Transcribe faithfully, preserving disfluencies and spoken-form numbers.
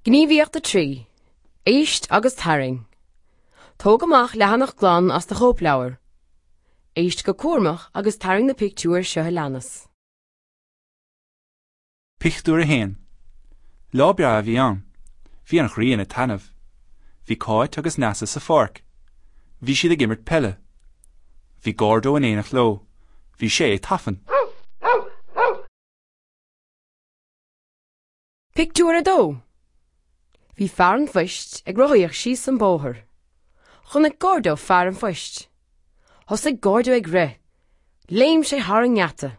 Gníomhaíocht a trí. Éist agus tarraing. Tóg amach leathanach glan as do chóipleabhar. Éist go cúramach agus tarraing na pictiúir seo a leanas. Pictiúr a haon. Lá breá a bhí ann. Bhí an ghrian ag taitneamh. Bhí Cáit agus Neasa sa pháirc. Bhí siad ag imirt peile. Bhí Gordo in éineacht leo. Bhí sé ag tafann. Pictiúr a dó. Bhí fear an phoist ag rothaíocht síos an bóthar. Chonaic Gordo fear an phoist. Thosaigh Gordo ag rith. Léim sé thar an ngeata.